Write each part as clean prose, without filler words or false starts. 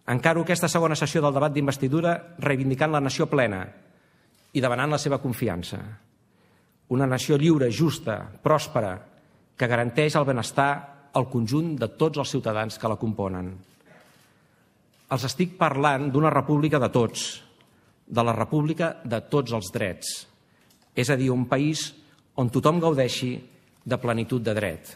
Encaro aquesta segona sessió del debat d'investidura reivindicant la nació plena i demanant la seva confiança. Una nació lliure, justa, pròspera, que garanteix el benestar al conjunt de tots els ciutadans que la componen. Els estic parlant d'una república de tots, de la república de tots els drets, és a dir, un país on tothom gaudeixi de plenitud de dret.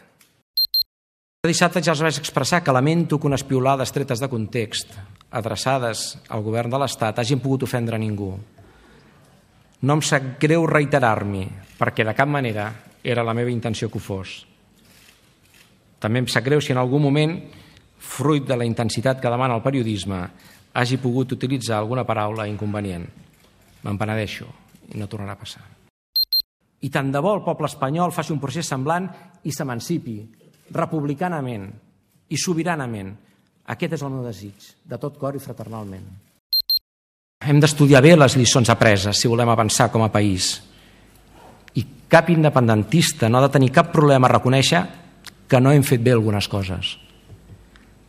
Dissabte ja els vaig expressar que lamento que unes piulades tretes de context, adreçades al govern de l'Estat, hagin pogut ofendre ningú. No em sap greu reiterar-m'hi, perquè de cap manera era la meva intenció que ho fos. També em sap greu si en algun moment, fruit de la intensitat que demana el periodisme, hagi pogut utilitzar alguna paraula inconvenient. Me'n penedeixo i no tornarà a passar. I tant de bo el poble espanyol faci un procés semblant i s'emancipi republicanament i sobiranament. Aquest és el meu desig, de tot cor i fraternalment. Hem d'estudiar bé les lliçons apreses si volem avançar com a país. I cap independentista no ha de tenir cap problema a reconèixer que no hem fet bé algunes coses.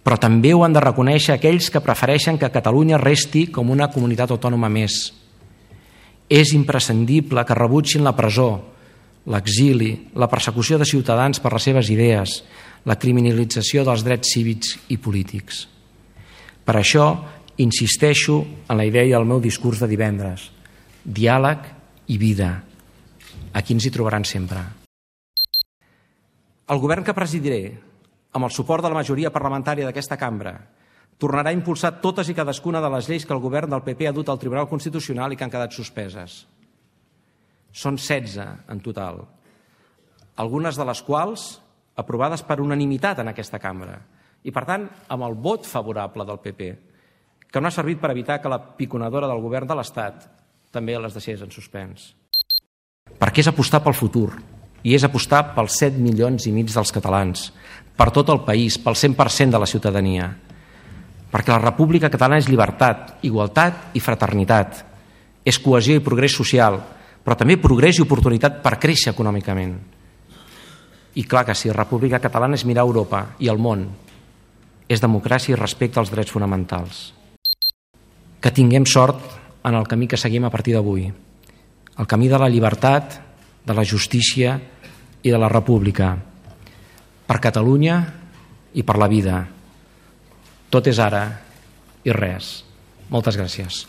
Però també ho han de reconèixer aquells que prefereixen que Catalunya resti com una comunitat autònoma més. És imprescindible que rebutgin la presó, l'exili, la persecució de ciutadans per les seves idees, la criminalització dels drets cívics i polítics. Per això, insisteixo en la idea del meu discurs de divendres: diàleg i vida. Aquí ens hi trobaran sempre. El govern que presidiré, amb el suport de la majoria parlamentària d'aquesta cambra, tornarà a impulsar totes i cadascuna de les lleis que el govern del PP ha dut al Tribunal Constitucional i que han quedat suspeses. Són 16 en total, algunes de les quals aprovades per unanimitat en aquesta cambra i, per tant, amb el vot favorable del PP, que no ha servit per evitar que la piconadora del govern de l'Estat també les deixés en suspens. Perquè és apostar pel futur i és apostar pels 7,5 milions dels catalans, per tot el país, pel 100% de la ciutadania. Perquè la República Catalana és llibertat, igualtat i fraternitat, és cohesió i progrés social, però també progrés i oportunitat per créixer econòmicament. I clar que sí, República Catalana és mirar Europa i el món, és democràcia i respecte als drets fonamentals. Que tinguem sort en el camí que seguim a partir d'avui, el camí de la llibertat, de la justícia i de la república, per Catalunya i per la vida. Tot és ara i res. Moltes gràcies.